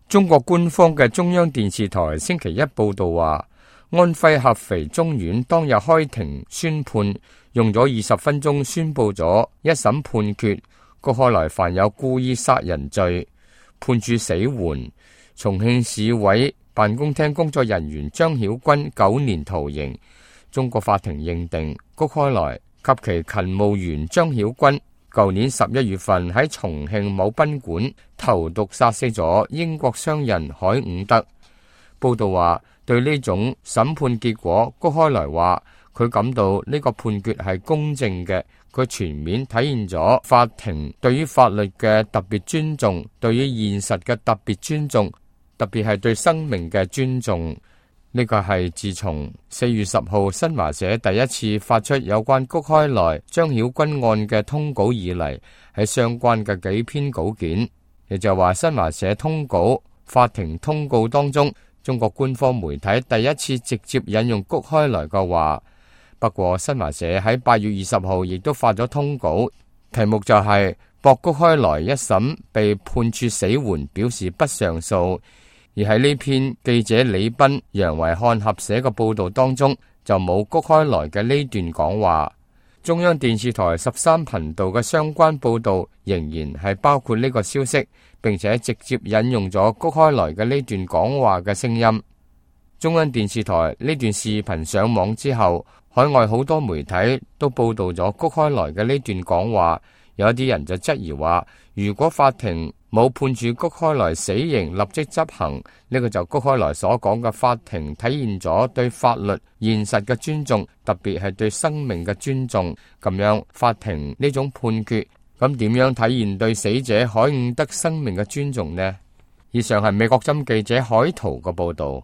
中國官方嘅中央電視台星期一報道話，安徽合肥中院當日開庭宣判，用咗20分鐘宣布咗一審判決，谷開來犯有故意殺人罪，判處死緩。重慶市委辦公廳工作人員張曉軍9年徒刑。中國法庭認定谷開來及其勤務員張曉軍舊年11月份喺重慶某賓館投毒殺死咗英國商人海伍德。報道話，對呢種審判結果，谷開來話佢感到呢個判決係公正嘅，佢全面體現咗法庭對於法律嘅特別尊重，對於現實嘅特別尊重，特別係對生命嘅尊重。呢個係自從4月10號新華社第一次發出有關谷開來、張曉軍案嘅通稿以嚟，喺相關嘅幾篇稿件，亦就話新華社通稿、法庭通告當中，中國官方媒體第一次直接引用谷開來嘅話。不過新華社喺8月20號亦都發咗通稿，題目就係駁谷開來一審被判處死緩，表示不上訴。而喺呢篇記者李斌、楊維漢合寫嘅報道當中，就冇谷開來嘅呢段講話。中央電視台13頻道嘅相關報道仍然係包括呢個消息，並且直接引用咗谷開來嘅呢段講話嘅聲音。中央電視台呢段視頻上網之後，海外好多媒體都報道咗谷開來嘅呢段講話。有啲人就質疑話，如果法庭冇判處谷開來死刑立即執行，呢個就谷開來所講嘅法庭體現咗對法律現實嘅尊重，特別係對生命嘅尊重。咁樣法庭呢種判決，咁點樣體現對死者海伍德生命嘅尊重呢？以上係美國針記者海圖嘅報道。